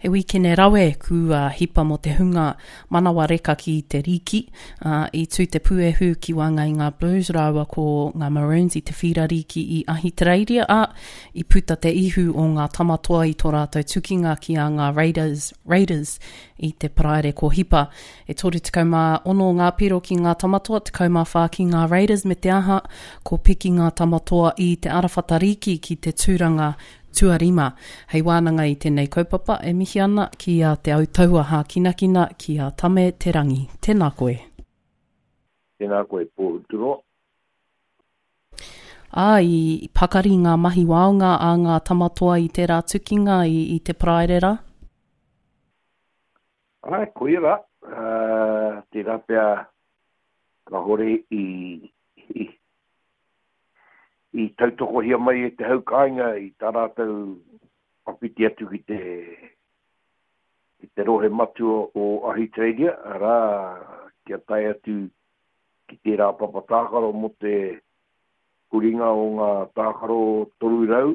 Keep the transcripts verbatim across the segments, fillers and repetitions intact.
He wīkene rawe kua hipa mō te hunga manawa reka ki te rīki. Uh, I tū te puehu ki waenga i ngā Blues rāua ko ngā Maroons i te whīra rīki i Ahitereiria, ā, i puta te ihu o ngā tamatoa i tō rātou tukinga ki a ngā Raiders, Raiders i te paraire ko hipa. E toru tekau mā ono ngā piro ki ngā tamatoa, tekau mā whā ki ngā Raiders, me te aha, ko piki ngā tamatoa i te arawhata rīki ki te tūranga tuarima. Hei wānanga i tēnei kaupapa e mihi ana ki a Te Autaua Hākinakina, ki a Tame Te Rangi. Tēnā koe. Tēnā koe, Pōhuturoa. Ā, i pakari ngā mahi waonga a ngā tamatoa i tērā tukinga i, i te paraire rā? Āe, koia rā. Uh, tērā pea kāore i, i, i tautokohia mai e te hau kāinga i tā rātou whakawhiti atu ki te, ki te rohe matua o Ahitereiria, arā, kia tae atu ki tērā papa tākaro mō te huringa o ngā tākaro toru rau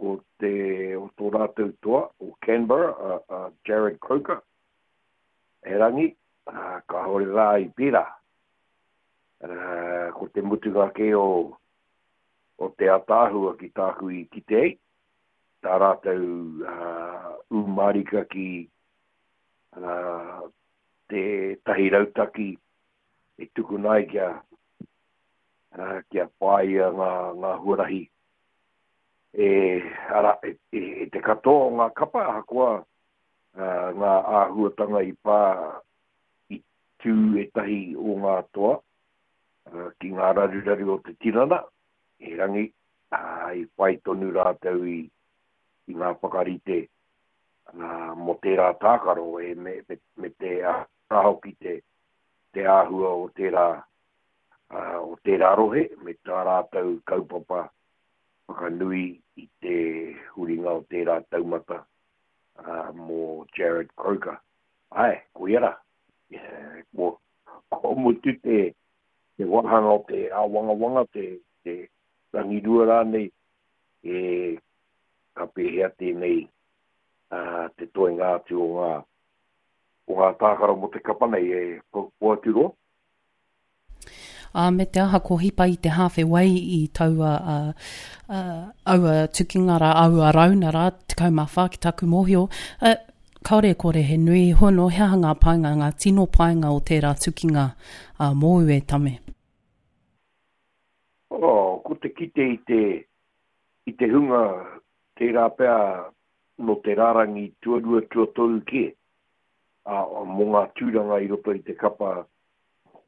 o te, o tō rātou toa, o Canberra, a, a Jarrod Croker. Erangi, kāore rā i pērā. Ko te mutunga kē o o te ataahua ki tāku i kite ai, tā rātou ū mārika ki te tahi rautaki e tukuna ai kia, kia whāia ngā, ngā huarahi e, ara, e, e, e te katoa o ngā kapa, ahakoa ngā āhuatanga i pā i tū ētahi o ngā toa ki ngā raruraru o te tinana, erangi, i whai tonu rātou i, i ngā whakarite mō tērā tākaro e, me, me, me te aha hoki te, te āhua o tērā, o tērā rohe, me tā rātou kaupapa whakanui i te huringa o tērā taumata mō Jarrod Croker. Āe, koia rā. Ko, ko mutu te, te wāhanga o te āwangawanga, te, te rangirua rānei, e ka pēhea tēnei uh, te toenga atu o ngā, o ngā tākaro mō te kapa nei e Poaturoa. Ā, me te aha ko hipa i te hāwhe wai i taua uh, uh, aua tukinga rā, aua rauna rā, tekau mā whā ki taku mōhio. Uh, kāore e kore he nui hono, he aha ngā painga, ngā tino painga o tērā tukinga uh, mōu e Tame? Oh, ko te kite i te, i te hunga tērā pea nō te rārangi tuarua tuatoru kē, ā, mō ngā tūranga i roto i te kapa,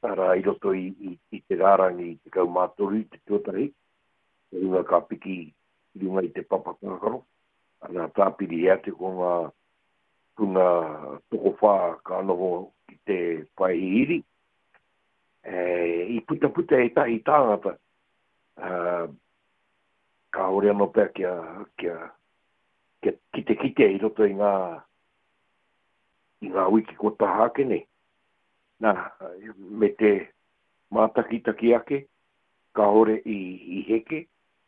arā, i roto i, i, i te rārangi tekau mā toru i te tuatahi, te hunga ka piki i runga i te papa tākaro, arā, tāpiri atu ko ngā hunga tokowhā ka noho ki te pae hihiri. E, i putaputa ētahi tāngata, uh, kāore anō pea kia, kia, kia kitekite i roto i ngā, i ngā wiki kua taha ake nei. Nā, me te mātakitaki ake, kāore i, i heke,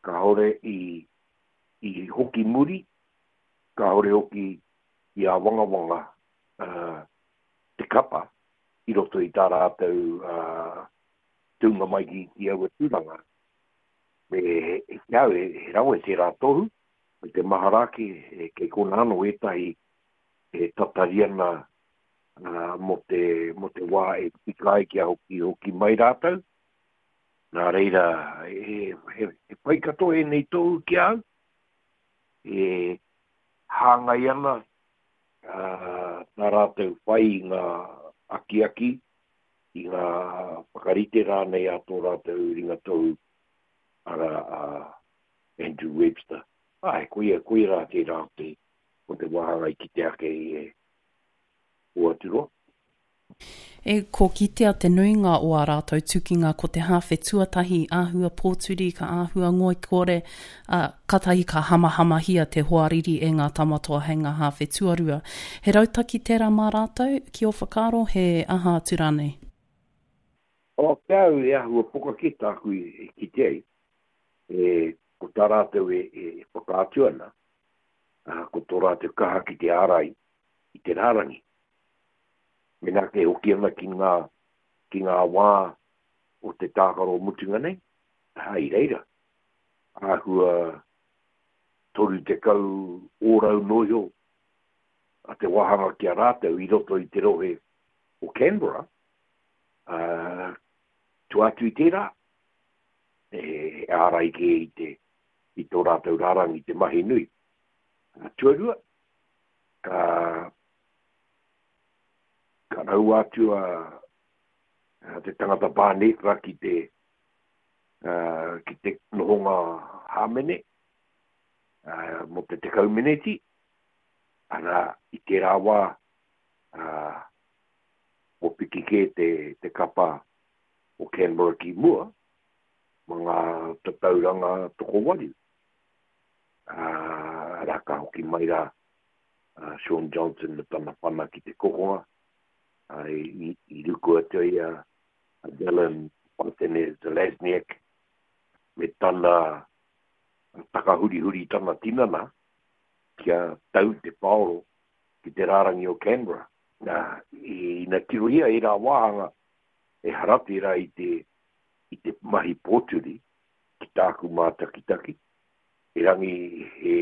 kāore i, i hoki muri, kāore hoki i āwangawanga uh, te kapa i roto i tā rātou uh, tūnga mai ki, ki aua tūranga. Me he au, he rawe tērā tohu, me te mahara ake, e, kei kona anō ētahi e tatari ana uh, mō te, mō te wā e tika ai kia hoki, hoki mai rātou. Nā reira, he, he, he pai katoa ēnei tohu ki a au, e hāngai ana uh, tā rātou whai i ngā akiaki, i ngā whakarite rānei a tō rātou ringa tohu, arā, a Andrew Webster. Āe, koia, koia rā tērā o te, o te wāhanga i kite ake i e Poaturoa. E, ko kitea te nuinga o ā rātou tukinga ko te hāwhe tuatahi āhua pōturi ka āhua ngoikore, ā, katahi ka hamahamahia te hoariri e ngā tamatoa hei ngā hāwhe tuarua. He rautaki tērā mā rātou, ki ō whakaaro, he aha atu rānei? O, ki a au e āhua poka kē tāku i kite ai, e, ko tā rātou e, e whakaatu ana, ā, ko tō rātou kaha ki te ārai i te rārangi. Mena ke hoki ana ki ngā, ki ngā wā o te tākaro mutunga nei, hai reira. Āhua toru tekau ōrau noho a te wāhanga ki a rātou i roto i te rohe o Canberra, uh, tua atu i tērā, e, e ārai ke i, te, i tō rātou rārangi te mahi nui. Uh, tuarua, ka, ka raua atu a, a te tangata Barnett ki te, uh, ki te nohonga hāmene, uh, mō te tekau meneti, ana i tērā wā, uh, o piki kē te, te kapa o Canberra ki mua, ma ngā tatauranga tokowaru. Uh, rā ka hoki mai rā uh, Shaun Johnson me tana whana ki te kokonga, uh, i, i ruku atu i a, a Dylan Watene-Zelezniak me tana takahurihuri tana tinana kia tau te paoro ki te rārangi o Canberra. Nā, ina tirohia e rā wāhanga e harate rā i te, i te mahi pōturi ki tāku mātakitaki. Erangi he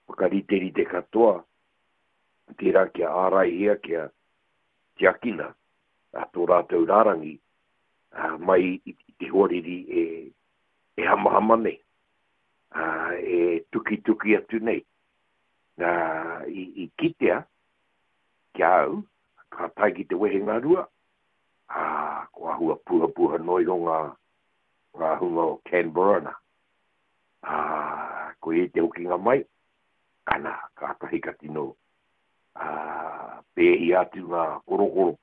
whakariterite katoa tērā kia āraihia, kia tiakina a tō rātou rārangi a, mai i, i te hoariri e, e hamahama nei, a, e tukituki atu nei. Nā, i, i kitea ki au, ka tae ki te wehenga rua, a, ko ahua puhapuha noa iho ngā, ngā hunga o Canberra nā. A, ko e te hokinga mai, ana, kātahi ka tino a, pēhi atu ngā korokoro,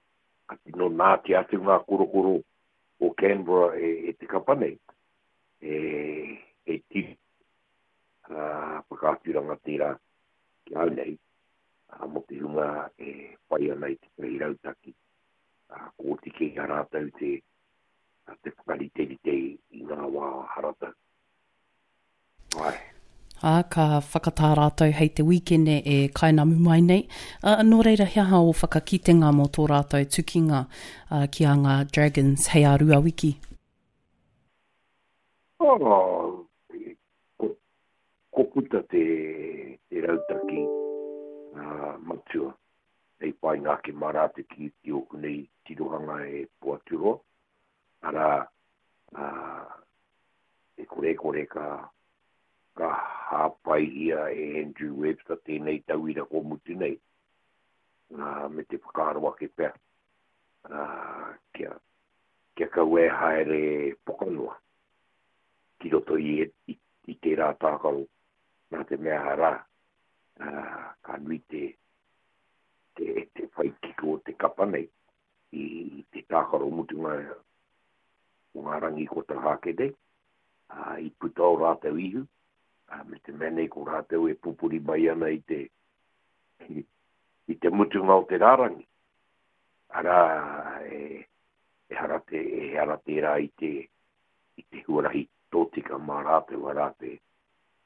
ka tino nāti atu ngā korokoro o Canberra e, e te kapa nei, e, e tiri a, whakaaturanga tērā ki au nei, a, mō te hunga e whai ana i te tahi rautaki, a, ko oti kē a rātou te, a, te whakariterite i ngā wā haratau. Ai. Ā, ka whakatā rātou hei te wīkene e kainamu mai nei. Uh, nō reira, he aha o whakakitenga mō tō rātou tukinga uh, ki a ngā Dragons hei a rua wiki? Oh, ko, ko puta te, te rautaki uh, matua hei whainga ake mā rātou ki, ki ōku nei tirohanga e Poaturoa. Arā, uh, e kore kore ka, ka hāpaihia e Andrew Webster tēnei tauira ko mutu nei. Uh, me te whakaaro ake pea. Uh, kia, kia kaua e haere pokanoa ki roto i, i, i tērā tākaro nā te mea rā, uh, ka nui te, te, te whai kiko o te kapa nei i, i te tākaro mutunga o ngā rangi ko taha ake nei, uh, i puta o rātou ihu, uh, me te mea nei ko rātou e pupuri mai ana i te, i, i te mutunga o te rārangi. Arā, e, e hara te, e hara tērā i te, i te huarahi tōtika mā rātou, arā te,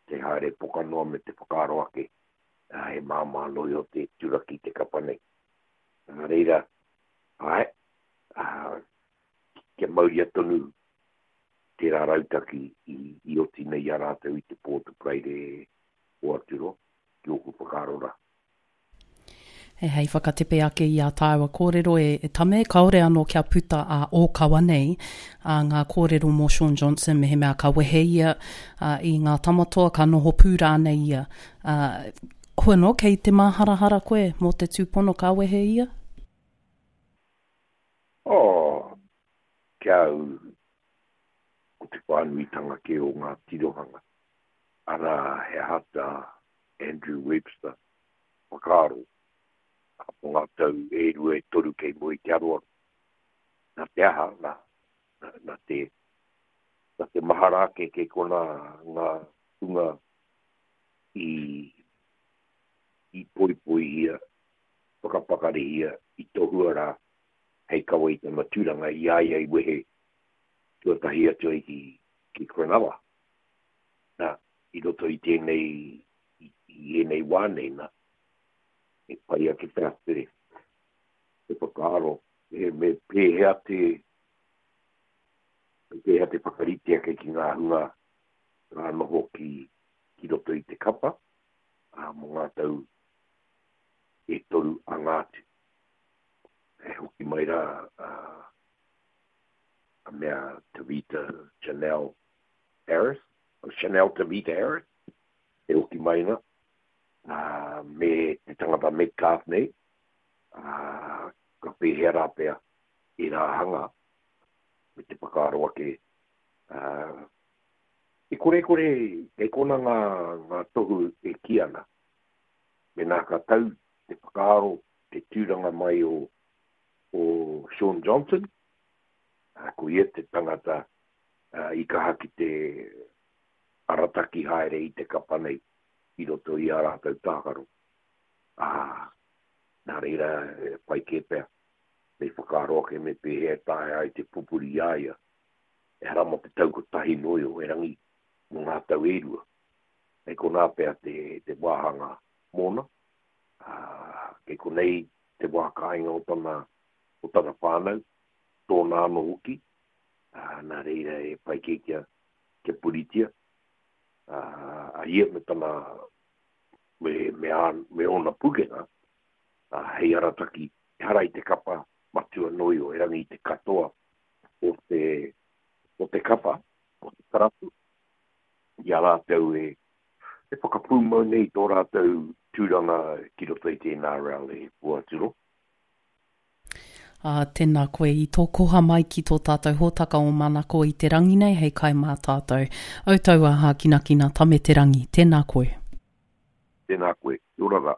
te haere pokanoa me te whakaaro ake, uh, he māmā noa iho te turaki te kapa nei. Nā reira, ai, uh, kia mauria tonu tērā rautaki i, i oti nei i a rātou i te pō te Paraire o Aturoa, ki ōku whakaaro rā. E hei whakatepe ake i a tāua kōrero e, e Tame, kaore anō kia puta a ōkawa nei a ngā kōrero mō Shaun Johnson, me he mea ka wehe ia a, i ngā tamatoa, ka noho pū rānei ia. A, hua no, kei te māharahara koe mō te tūpono ka wehe ia? Oh, kia au, ko te whānuitanga ke o ngā tirohanga. Arā, he aha tā Andrew Webster whakaaro mō ngā tau e rua e toru kei mua i te aroaro. Nā te aha, nā, nā, nā te, nā te mahara ake kei kona ngā hunga i, i poipoihia, whakapakarihia, i tohua rā, hei kawe i tana tūranga i a ia i wehe tuatahi atu ai ki, ki Cronulla. Nā, i roto i tēnei, i, i ēnei wā nei, nā, E pai ake pea te, te whakaaro, e me pēhea te, me pēhea te whakarite ake ki ngā hunga ngā noho ki, ki roto i te kapa, ā, mō ngā tau e toru anga atu. E hoki mai rā a, a mea Tavita Chanel Harris, o Chanel Tavita Harris, e hoki mai na, ā, me te tangata Metcalf nei, ā, ka pēhea rā pea i rā hanga, me te whakaaro ake, ā, i korekore, kei kona ngā, ngā tohu e kī ana, mēnā ka tau te whakaaro, te tūranga mai o, o Shaun Johnson, ā, ko ia te tangata ā, i kaha ki te arataki haere i te kapa nei i roto i ā rātou tākaro. Ā, nā reira, e pai kē pea, me whakaaro ake me pēhea e taea ai te pupuri i a ia. Ehara mō te tau kotahi noa iho, erangi mō ngā tau e rua. Kei konā pea te, te wāhanga mōna, ā, kei konei te wā kāinga o tana, o tana whānau, tōna anō hoki, ā, nā reira e pai kē kia, kia puritia, ā, a ia me tana, me, me, ā, me ōna pukenga, ā, hei arataki, ehara i te kapa matua noa iho, erangi i te katoa o te, o te kapa, o te karapu, i a rātou e, e whakapūmau nei tō rātou tūranga ki roto i te N R L e Puaturo. Ā, tēnā koe i tō koha mai ki tō tātou hōtaka o Manako i te rangi nei hei kai mā tātou. Au tau a hākinakina tame te rangi, tēnā koe. Tēnā koe, kia ora rā.